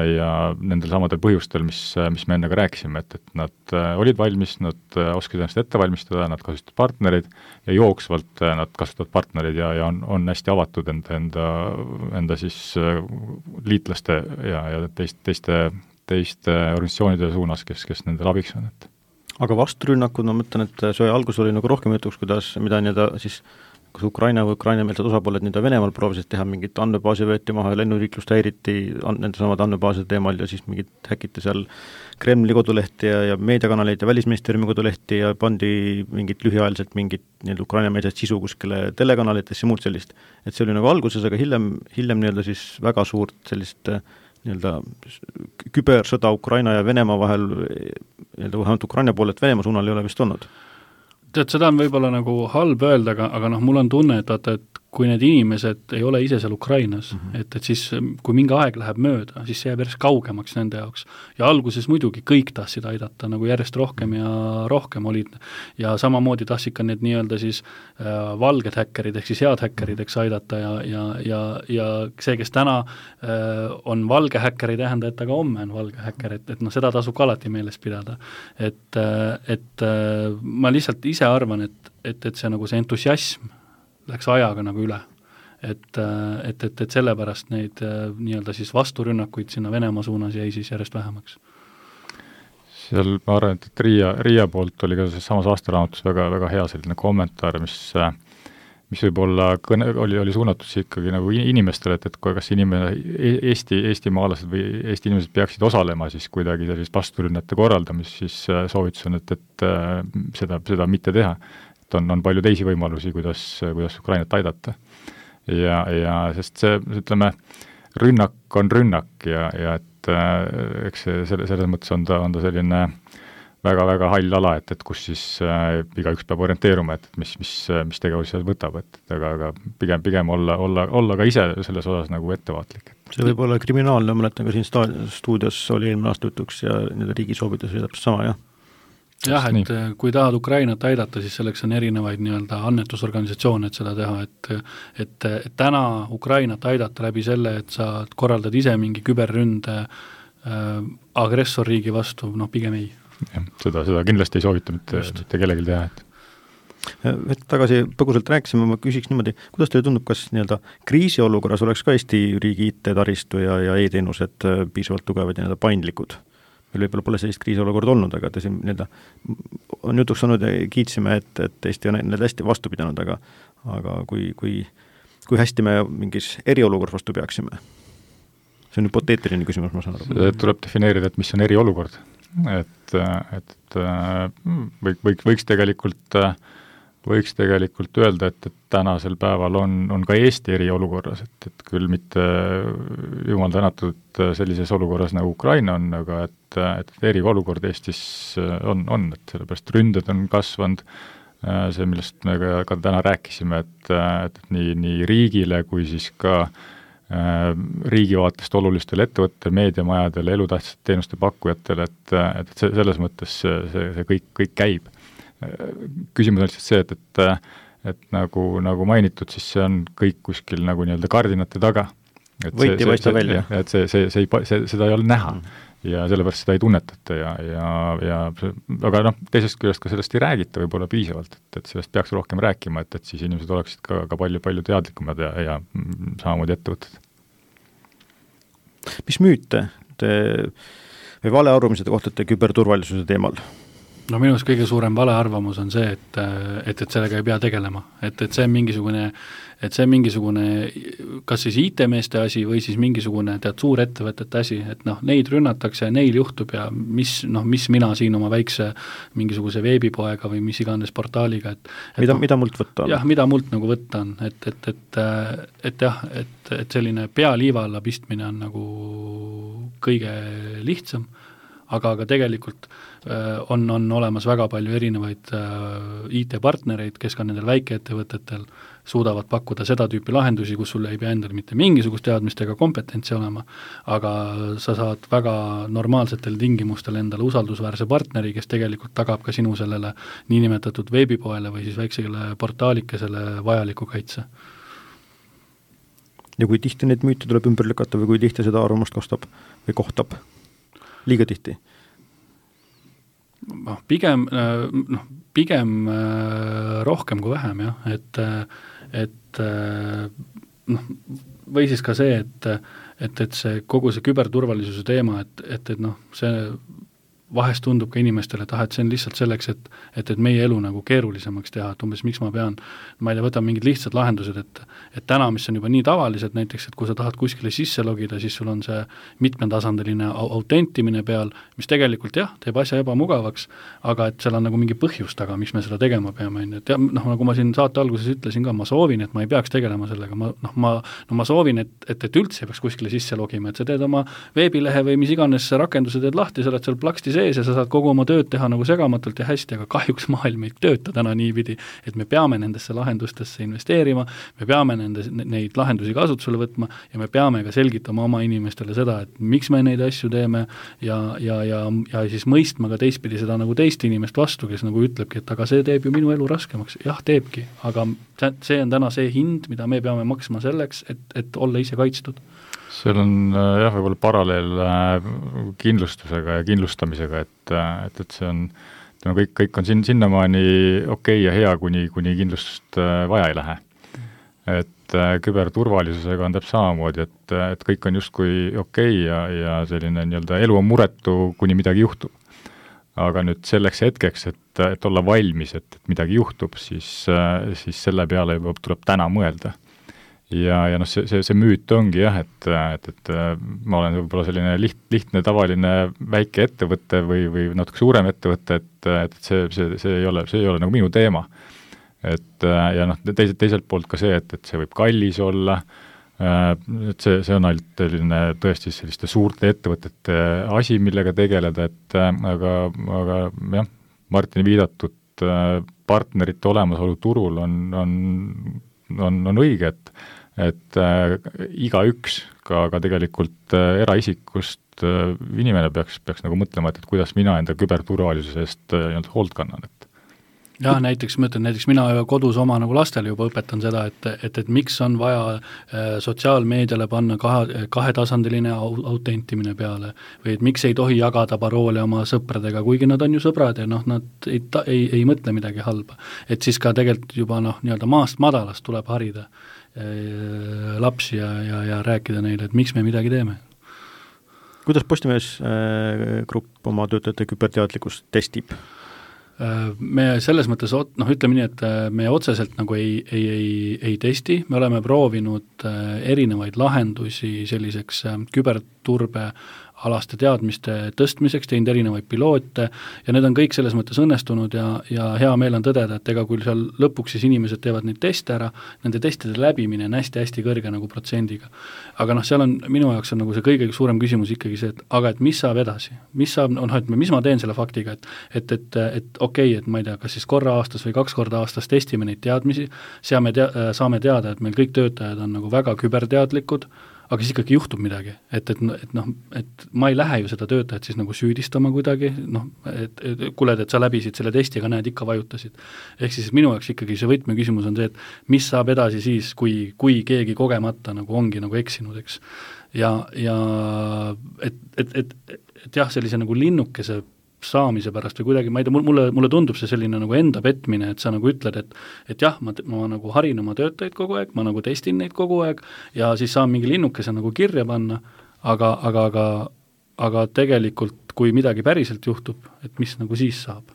nendel samadel põhjustel, mis me enne ka rääkisime, et nad olid valmis, nad oskasid ennast ette valmistada, nad kasutasid partnereid ja jooksvalt nad kasutavad partnereid ja on hästi avatud enda siis liitlaste ja teiste organisatsioonide suunas, kes nendel abiks on. Aga vasturünnakud, ma mõtlen, et sõja algus oli nagu rohkem jutuks, mida nii-öelda siis kas Ukraina või Ukraina-meelsed osapooled nii-öelda Venemaal proovisid teha, mingit andmebaasi võeti maha ja lennuliiklust häiriti nende samad andmebaaside teemal ja siis mingit häkiti seal Kremli kodulehti ja meediakanaleid ja Välisministeeriumi kodulehti ja pandi mingit lühiajaliselt mingit nii-öelda Ukraina-meelset sisu kuskile telekanalitesse ja muud sellist. Et see oli nagu alguses, aga hiljem nii-öelda siis väga suurt sellist nii-öelda kübersõda Ukraina ja Venemaa vahel, nii-öelda vähemalt Ukraina poolelt Venemaa suunal ei ole vist olnud. Tead, seda on võib-olla nagu halb öelda, aga noh, mul on tunne, et kui need inimesed ei ole ise seal Ukrainas, et siis kui mingi aeg läheb mööda, siis see jääb järjest kaugemaks nende jaoks. Ja alguses muidugi kõik tahtsid aidata, nagu järjest rohkem ja rohkem olid. Ja samamoodi tahtsid ka need nii-öelda siis valged häkkerid, ehk siis head häkkerid, eks aidata ja see, kes täna on valge häkker, ei tähenda, et aga homme on valge häkker, et noh, seda tasub ka alati meeles pidada. Et ma lihtsalt ise arvan, et see nagu see entusiasm läks ajaga nagu üle. Et sellepärast neid nii-öelda siis vasturünnakuid sinna Venemaa suunas jäi siis järjest vähemaks. Seal ma arvan, et Riia poolt oli ka samas aastaraamatus väga hea selline kommentaar, mis võib-olla oli suunatud ikkagi nagu inimestele, et kas Eesti maalased või Eesti inimesed peaksid osalema siis kuidagi sellist vasturünnete korraldamist, siis soovitus on, et seda mitte teha. On palju teisi võimalusi, kuidas Ukrainat aidata. Ja sest see, ütleme, rünnak on rünnak ja et eks selles mõttes on ta selline väga-väga hall ala, et kus siis igaüks peab orienteeruma, et mis tegevusi seal võtab, et aga pigem olla ka ise selles osas nagu ettevaatlik. See võib olla kriminaalne, mõnetan ka siin stuudios oli eelmine aasta jutuks ja nende riigi soovitus oli täpselt sama, jah? Jah, et kui tahad Ukrainat aidata, siis selleks on erinevaid nii-öelda annetusorganisatsioone, et seda teha, et täna Ukrainat aidata läbi selle, et sa korraldad ise mingi küberründe agressorriigi vastu, pigem ei. Ja, seda kindlasti ei soovita mitte kellelgi teha, et tagasi põgusalt rääkisime, ma küsiks niimoodi, kuidas teile tundub, kas nii-öelda kriisiolukorras oleks ka Eesti riigi IT-taristu ja e-teenused piisavalt tugevad ja paindlikud? Meil võib-olla pole sellist kriisiolukorda olnud, aga te siin on jutuks saanud ja kiitsime, et Eesti on need hästi vastu pidanud, aga kui hästi me mingis eriolukorras vastu peaksime? See on hüpoteetiline küsimus, ma saan aru. Tuleb defineerida, et mis on eriolukord. Et võiks tegelikult öelda, et tänasel päeval on ka Eesti eriolukorras, et küll mitte jumal tänatud sellises olukorras nagu Ukraina on, aga et eriolukord Eestis on, et sellepärast ründed on kasvanud, see, millest me ka täna rääkisime, et nii riigile kui siis ka riigi vaatest olulistele ettevõttele, meediamajadele, elutähtsate teenuste pakkujatele, et selles mõttes see kõik käib. Küsimus on lihtsalt see, et nagu mainitud, siis see on kõik kuskil nagu nii-öelda kardinate taga. Võit ei paista välja. Et seda ei ole näha ja sellepärast seda ei tunnetata aga teisest küljest ka sellest ei räägita võib-olla piisavalt, et sellest peaks rohkem rääkima, et siis inimesed oleksid ka palju teadlikumad ja samamoodi ettevõtted. Mis müüte või valearvamused kohtate küberturvalisuse teemal? Minu arust kõige suurem valearvamus on see, et sellega ei pea tegelema, et see on mingisugune kas siis IT-meeste asi või siis mingisugune suur ettevõtete asi, et neid rünnatakse ja neil juhtub ja mis mina siin oma väikse mingisuguse veebipoega või mis iganes portaaliga, mida mult võtta on? Jah, mida mult nagu võtta on, et selline pealiiva alla pistmine on nagu kõige lihtsam, aga tegelikult on olemas väga palju erinevaid IT-partnereid, kes ka nendel väikeettevõtetel suudavad pakkuda seda tüüpi lahendusi, kus sul ei pea endal mitte mingisugust teadmist ega kompetentsi olema, aga sa saad väga normaalsetel tingimustel endale usaldusväärse partneri, kes tegelikult tagab ka sinu sellele niinimetatud veebipoele või siis väiksele portaalikesele vajaliku kaitse. Ja kui tihti neid müüte tuleb ümber lükata või kui tihti seda arvamust kostab või kohtab? Liiga tihti? Pigem rohkem kui vähem, jah, et või siis ka see, et see kogu see küberturvalisuse teema, et see vahest tundub ka inimestele, et see on lihtsalt selleks, et meie elu nagu keerulisemaks teha, et umbes miks ma pean, ma ei tea, võtan mingid lihtsad lahendused, et täna, mis on juba nii tavalised, näiteks, et kui sa tahad kuskile sisse logida, siis sul on see mitmetasandiline autentimine peal, mis tegelikult jah, teeb asja ebamugavaks, aga et seal on nagu mingi põhjus taga, miks me seda tegema peame, et nagu ma siin saate alguses ütlesin ka, ma soovin, et ma ei peaks tegelema sellega, ma soovin, et üldse ei peaks kuskile sisse logima, et sa teed oma veebilehe või mis iganes rakenduse teed lahti, sa oled seal plaksti ja sa saad kogu oma tööd teha nagu segamatult ja hästi, aga kahjuks maailm ei tööta täna niipidi, et me peame nendesse lahendustesse investeerima, me peame neid lahendusi kasutusele võtma ja me peame ka selgitama oma inimestele seda, et miks me neid asju teeme ja siis mõistma ka teistpidi seda nagu teist inimest vastu, kes nagu ütlebki, et aga see teeb ju minu elu raskemaks. Jah, teebki, aga see on täna see hind, mida me peame maksma selleks, et olla ise kaitstud. Seal on võib-olla paralleel kindlustusega ja kindlustamisega, et see on, kõik on sinnamaani okei ja hea, kuni kindlustust vaja ei lähe. Et küberturvalisusega on täpselt samamoodi, et kõik on justkui okei ja selline nii-öelda elu on muretu, kuni midagi juhtub. Aga nüüd selleks hetkeks, et olla valmis, et midagi juhtub, siis selle peale juba tuleb täna mõelda. Ja see müüt ongi jah, et ma olen võib-olla selline lihtne tavaline väike ettevõte või natuke suurem ettevõte, et see ei ole nagu minu teema. Ja teiselt poolt ka see, et see võib kallis olla, et see on ainult selline tõesti selliste suurte ettevõtete asi, millega tegeleda, et aga jah, Martini viidatud partnerite olemasolu turul on õige, et igaüks, ka tegelikult eraisikust inimene peaks nagu mõtlema, et kuidas mina enda küberturvalisuse eest hoolt kannan, et jah, näiteks mina kodus oma nagu lastele juba õpetan seda, et miks on vaja sotsiaalmeediale panna kahetasandiline autentimine peale või et miks ei tohi jagada paroole oma sõpradega, kuigi nad on ju sõbrad ja nad ei mõtle midagi halba. Et siis ka tegelikult juba nii-öelda maast madalast tuleb harida lapsi ja rääkida neile, et miks me midagi teeme. Kuidas Postimees grupp oma töötajate küberteadlikkust testib? Me selles mõttes, ütleme nii, et me otseselt nagu ei testi, me oleme proovinud erinevaid lahendusi selliseks küberturbe alaste teadmiste tõstmiseks, teinud erinevaid piloote ja need on kõik selles mõttes õnnestunud ja hea meel on tõdeda, et ega kui seal lõpuks siis inimesed teevad neid teste ära, nende testide läbimine on hästi-hästi kõrge nagu protsendiga. Aga seal on, minu jaoks on nagu see kõige suurem küsimus ikkagi see, et mis saab edasi? Mis ma teen selle faktiga, et okei, et ma ei tea, kas siis korra aastas või 2 korda aastas testime neid teadmisi, saame teada, et meil kõik töötajad on nagu väga küberteadlikud, aga siis ikkagi juhtub midagi, et ma ei lähe ju seda töötajat siis nagu süüdistama kuidagi, et kuuled, et sa läbisid selle testi, aga näed, ikka vajutasid. Ehk siis minu jaoks ikkagi see võtmeküsimus on see, et mis saab edasi siis, kui keegi kogemata nagu ongi nagu eksinud, eks. Ja et jah, sellise nagu linnukese saamise pärast või kuidagi, ma ei tea, mulle tundub see selline nagu enda petmine, et sa nagu ütled, et jah, ma nagu harin oma töötajaid kogu aeg, ma nagu testin neid kogu aeg ja siis saan mingi linnukese nagu kirja panna, aga tegelikult, kui midagi päriselt juhtub, et mis nagu siis saab.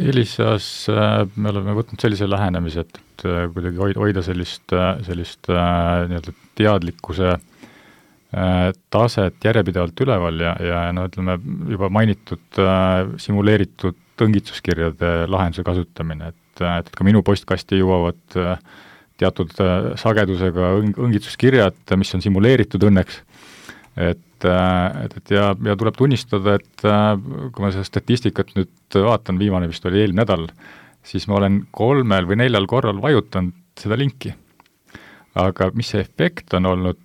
Elisas me oleme võtnud sellise lähenemise, et kuidagi hoida sellist nii-öelda teadlikkuse taset järjepidevalt üleval ja ütleme, juba mainitud simuleeritud õngitsuskirjade lahenduse kasutamine, et ka minu postkasti jõuavad teatud sagedusega õngitsuskirjad, mis on simuleeritud õnneks, et ja tuleb tunnistada, et kui ma seda statistikat nüüd vaatan, viimane vist oli eelmine nädal, siis ma olen 3 või 4 korral vajutanud seda linki. Aga mis see efekt on olnud,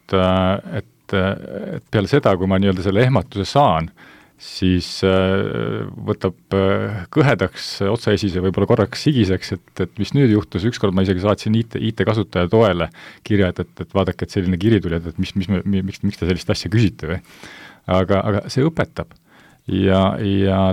et peale seda, kui ma nii-öelda selle ehmatuse saan, siis võtab kõhedaks otsaesise võib-olla korraks sigiseks, et mis nüüd juhtus, ükskord ma isegi saatsin IT-kasutaja toele kirja, et vaadake, et selline kiri tuli, et miks te sellist asja küsite või. Aga see õpetab. Ja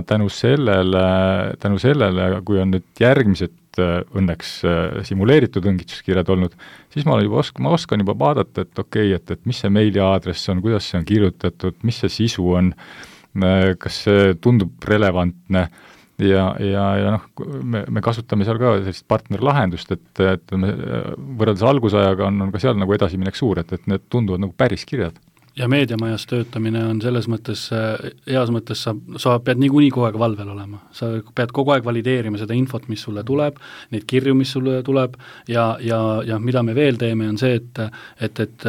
tänu sellele, kui on nüüd järgmised õnneks simuleeritud õngitsuskirjad olnud, siis ma oskan juba vaadata, et okei, et mis see meiliaadress on, kuidas see on kirjutatud, mis see sisu on, kas see tundub relevantne ja me kasutame seal ka sellist partnerlahendust, et võrreldes algusajaga on ka seal nagu edasiminek suur, et need tunduvad nagu päris kirjad. Ja meediamajas töötamine on selles mõttes, heas mõttes sa pead niikuinii kogu aeg valvel olema. Sa pead kogu aeg valideerima seda infot, mis sulle tuleb, neid kirju, mis sulle tuleb ja mida me veel teeme, on see, et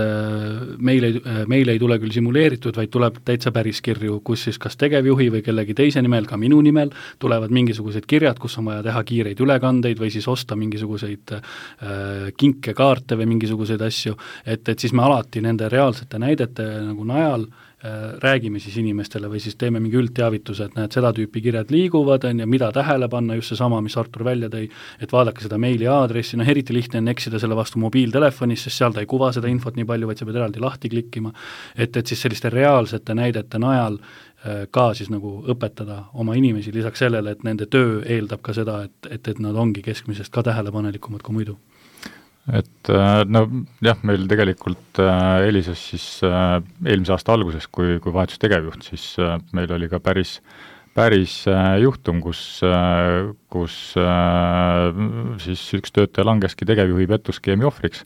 meil ei tule küll simuleeritud, vaid tuleb täitsa päris kirju, kus siis kas tegevjuhi või kellegi teise nimel, ka minu nimel, tulevad mingisugused kirjad, kus on vaja teha kiireid ülekandeid või siis osta mingisuguseid kinkekaarte või mingisuguseid asju, et siis me alati nende reaalsete näidete nagu najal räägime siis inimestele või siis teeme mingi üldteavituse, et näed, seda tüüpi kirjad liiguvad ja mida tähele panna, just see sama, mis Artur välja tõi, et vaadake seda meili aadressi, eriti lihtne on eksida selle vastu mobiiltelefonis, sest seal ta ei kuva seda infot nii palju, vaid sa pead eraldi lahti klikkima, et siis selliste reaalsete näidete najal ka siis nagu õpetada oma inimesi lisaks sellele, et nende töö eeldab ka seda, et nad ongi keskmisest ka tähelepanelikumad kui muidu. Et meil tegelikult Elisas siis eelmise aasta alguses, kui vahetus tegevjuht, siis meil oli ka päris juhtum, kus siis üks töötaja langeski tegevjuhi pettuskeemi ohvriks.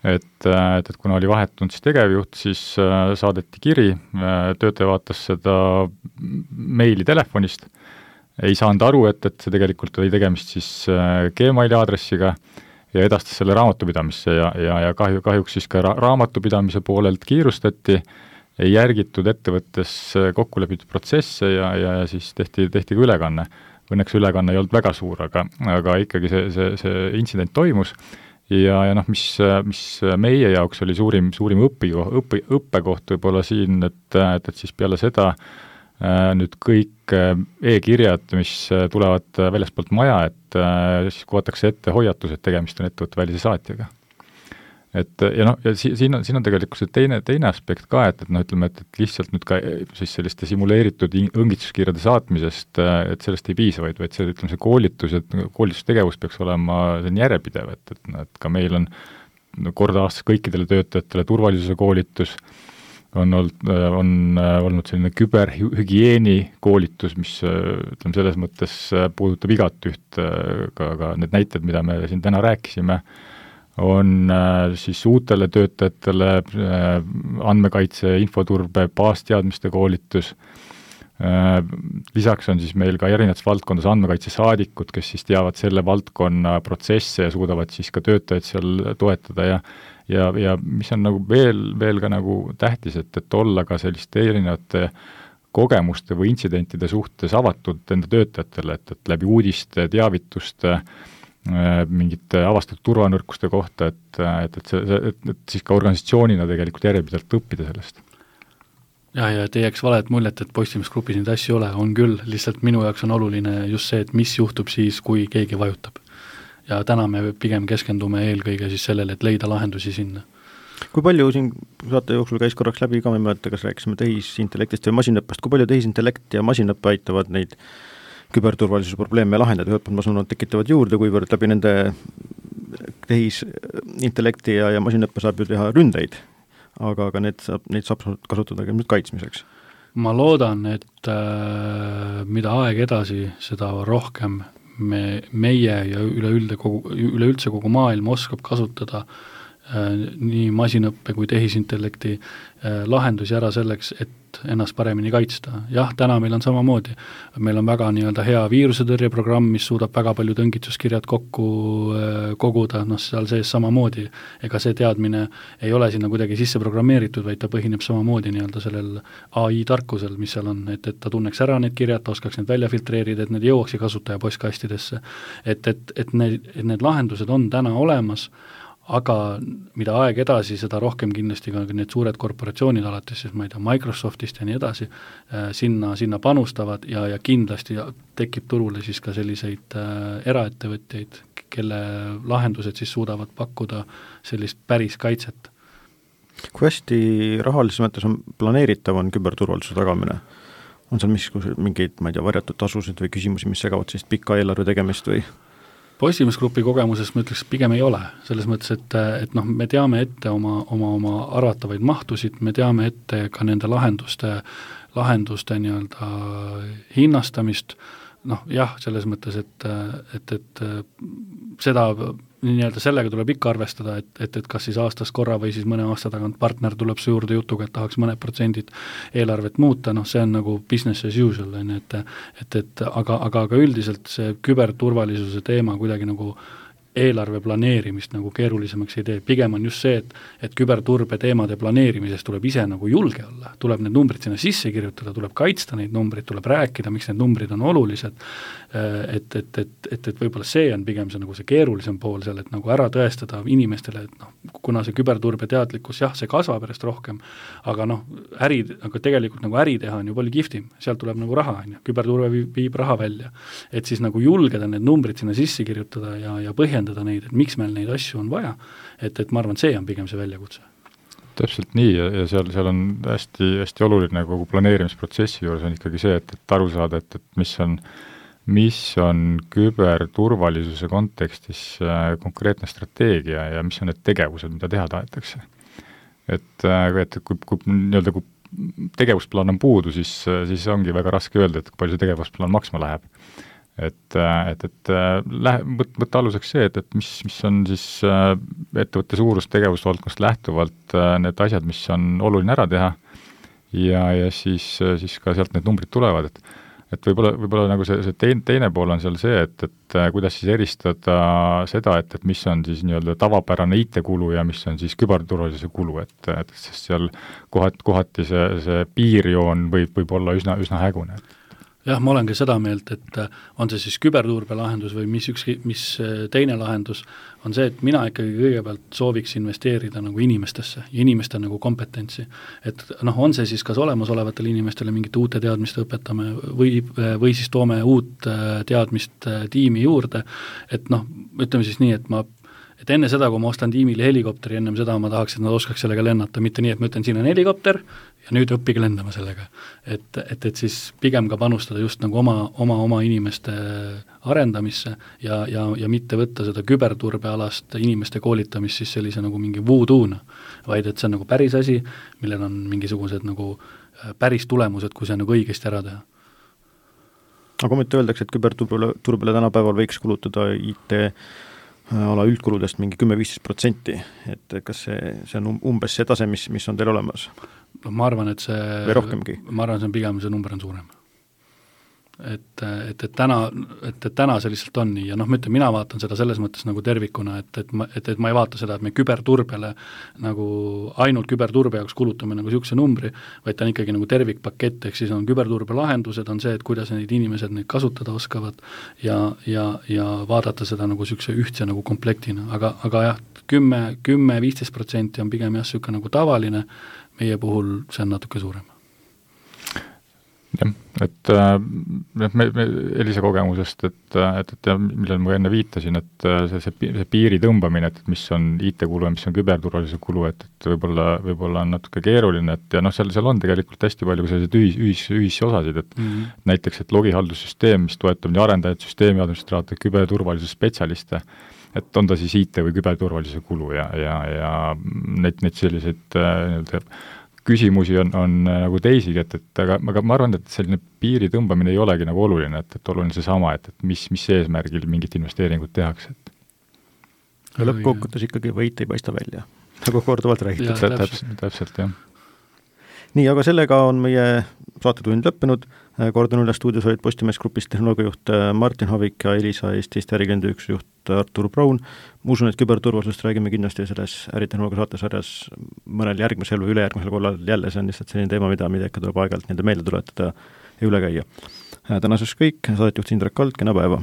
Et kuna oli vahetunud siis tegevjuht, siis saadeti kiri, töötaja vaatas seda meili telefonist, ei saanud aru, et see tegelikult oli tegemist siis Gmaili aadressiga ja edastas selle raamatupidamisse ja kahjuks siis ka raamatupidamise poolelt kiirustati, ei järgitud ettevõttes kokku lepitud protsesse ja siis tehti ka ülekanne. Õnneks ülekanne ei olnud väga suur, aga ikkagi see intsident toimus ja mis meie jaoks oli suurim õppekoht võib-olla siin, et siis peale seda nüüd kõik e-kirjad, mis tulevad väljastpoolt maja, et siis kuvatakse ette hoiatus, et tegemist on ettevõtte välise saatjaga. Ja siin on tegelikult see teine aspekt ka, et ütleme, et lihtsalt nüüd ka siis selliste simuleeritud õngitsuskirjade saatmisest, et sellest ei piisa, vaid see, ütleme, see koolitustegevus peaks olema järjepidev, et ka meil on kord aastas kõikidele töötajatele turvalisuse koolitus, on olnud selline küberhügieeni koolitus, mis ütleme, selles mõttes puudutab igat üht, ka need näited, mida me siin täna rääkisime, on siis uutele töötajatele andmekaitse, infoturbe, baasteadmiste koolitus. Lisaks on siis meil ka erinevates valdkondades andmekaitsesaadikud, kes siis teavad selle valdkonna protsesse ja suudavad siis ka töötajaid seal toetada ja mis on nagu veel ka nagu tähtis, et olla ka selliste erinevate kogemuste või intsidentide suhtes avatud enda töötajatele, et läbi uudiste, teavituste, mingite avastatud turvanõrkuste kohta, et siis ka organisatsioonina tegelikult järjepidevalt õppida sellest. Ja ei jääks valet muljet, et Postimeesgrupis neid asju ole, on küll, lihtsalt minu jaoks on oluline just see, et mis juhtub siis, kui keegi vajutab. Ja täna me pigem keskendume eelkõige siis sellele, et leida lahendusi sinna. Kui palju siin saate jooksul käis korraks läbi ka, me mõelda, kas rääkisime tehisintellektist või masinõppest, kui palju tehisintellekt ja masinõppe aitavad neid küberturvalisuse probleeme lahendada, ühelt poolt ma sanon, tekitavad juurde, kuivõrd läbi nende tehisintellekti ja masinõppe saab ju teha ründeid, aga neid saab kasutada ka nüüd kaitsmiseks. Ma loodan, et mida aeg edasi, seda rohkem meie ja üleüldse kogu maailm oskab kasutada nii masinõppe kui tehisintellekti lahendusi ära selleks, et ennast paremini kaitsta. Jah, täna meil on samamoodi. Meil on väga hea viirusetõrjeprogramm, mis suudab väga palju õngitsuskirjad kokku koguda, seal sees samamoodi. Ega see teadmine ei ole sinna kuidagi sisse programmeeritud, vaid ta põhineb samamoodi sellel AI-tarkusel, mis seal on, et ta tunneks ära need kirjad, ta oskaks need välja filtreerida, et need jõuaksi kasutaja postkastidesse. Et need lahendused on täna olemas, aga mida aeg edasi, seda rohkem kindlasti ka need suured korporatsioonid alates, siis ma ei tea, Microsoftist ja nii edasi, sinna panustavad ja kindlasti tekib turule siis ka selliseid eraettevõtjaid, kelle lahendused siis suudavad pakkuda sellist päris kaitset. Kui hästi rahalises mõttes on planeeritav on küberturvalisuse tagamine? On seal mingeid, ma ei tea, varjatud tasusid või küsimusi, mis segavad sellist pika eelarve tegemist või? Postimeesgrupi kogemuses ma ütleks, pigem ei ole, selles mõttes, et me teame ette oma arvatavaid mahtusid, me teame ette ka nende lahenduste nii-öelda hinnastamist, jah, selles mõttes, et seda nii-öelda sellega tuleb ikka arvestada, et kas siis aastas korra või siis mõne aasta tagant partner tuleb su juurde jutuga, et tahaks mõned protsendid eelarvet muuta, see on nagu business as usual, aga üldiselt see küberturvalisuse teema kuidagi nagu eelarve planeerimist nagu keerulisemaks ei tee. Pigem on just see, et küberturbe teemade planeerimises tuleb ise nagu julge olla, tuleb need numbrid sinna sisse kirjutada, tuleb kaitsta neid numbrid, tuleb rääkida, miks need numbrid on olulised, et võib-olla see on pigem see, nagu see keerulisem pool seal, et nagu ära tõestada inimestele, et kuna see küberturbe teadlikkus, jah, see kasvab järjest rohkem, aga aga tegelikult nagu äri teha on ju palju kihvtim, sealt tuleb nagu raha, küberturbe viib raha välja, et siis nagu julgeda need numbrid sinna sisse kirjutada ja põhjendada neid, et miks meil neid asju on vaja, et ma arvan, see on pigem see väljakutse. Täpselt nii ja seal on hästi oluline kogu planeerimisprotsessi juures on ikkagi see, et aru saada, et mis on küberturvalisuse kontekstis konkreetne strateegia ja mis on need tegevused, mida teha tahetakse. Et kui tegevusplaan on puudu, siis ongi väga raske öelda, et kui palju see tegevusplaan maksma läheb. Võtta aluseks see, et mis on siis ettevõtte suurus tegevusvaldkonnast lähtuvalt need asjad, mis on oluline ära teha ja siis ka sealt need numbrid tulevad, et võib-olla nagu see teine pool on seal see, et kuidas siis eristada seda, et mis on siis nii-öelda tavapärane IT-kulu ja mis on siis küberturvalisuse kulu, et sest seal kohati see piirjoon võib olla üsna hägune. Jah, ma olen ka seda meelt, et on see siis küberturbe lahendus või mis teine lahendus, on see, et mina ikkagi kõigepealt sooviks investeerida nagu inimestesse ja inimeste nagu kompetentsi. Et on see siis kas olemasolevatele inimestele mingite uute teadmiste õpetame või siis toome uut teadmist tiimi juurde, et ütleme siis nii, et enne seda, kui ma ostan tiimile helikopteri, ennem seda ma tahaks, et nad oskaks sellega lennata, mitte nii, et ma ütlen, siin on helikopter ja nüüd õppige lendama sellega. Et siis pigem ka panustada just nagu oma inimeste arendamisse ja mitte võtta seda küberturbealast inimeste koolitamist siis sellise nagu mingi voodoo'na, vaid et see on nagu päris asi, millel on mingisugused nagu päris tulemused, kui see nagu õigesti ära teha. Aga mitte öeldakse, et küberturbele tänapäeval võiks kulutada IT-ala üldkuludest mingi 10-15%, et kas see on umbes see tase, mis on teil olemas? Ma arvan, et see või rohkemgi? Ma arvan, see on pigem, see number on suurem. Et täna see lihtsalt on nii ja mina vaatan seda selles mõttes nagu tervikuna, et ma ei vaata seda, et me küberturbele nagu ainult küberturbe jaoks kulutame nagu niisuguse numbri, vaid ta on ikkagi nagu tervikpakett, ehk siis on küberturbe lahendused, on see, et kuidas neid inimesed neid kasutada oskavad ja vaadata seda nagu niisuguse ühtse nagu komplektina, aga jah, 10-15% on pigem jah, niisugune nagu tavaline, meie puhul see on natuke suurem. Jah, et me Elisa kogemusest, et millal ma enne viitasin, et see piiri tõmbamine, et mis on IT-kulu ja mis on küberturvalisuse kulu, et võib-olla on natuke keeruline, et ja seal on tegelikult hästi palju selliseid ühisosasid, et näiteks, et logihaldussüsteem, mis toetab nii arendajaid, süsteemi administraatoreid, küberturvalisuse spetsialiste, et on ta siis IT või küberturvalisuse kulu ja neid selliseid küsimusi on nagu teisigi, aga ma arvan, et selline piiri tõmbamine ei olegi nagu oluline, et oluline seesama, et mis eesmärgil mingit investeeringut tehakse. Ja lõppkokkutes ikkagi võit ei paista välja, nagu korduvalt räägitud. Täpselt, jah. Nii, aga sellega on meie saatetund lõppenud. Kordan üle stuudios olid Postimees Grupist tehnoloogiajuht Martin Havik ja Elisa Eestist ärikliendiüksuse juht Artur Braun. Ma usun, et küberturvalisust räägime kindlasti selles äritehnoloogia saatesarjas mõnel järgmisel või ülejärgmisel korral jälle. See on lihtsalt selline teema, mida ikka tuleb aeg-ajalt meelde tuletada ja üle käia. Tänaseks kõik, saatejuht Indrek Kald, kena päeva!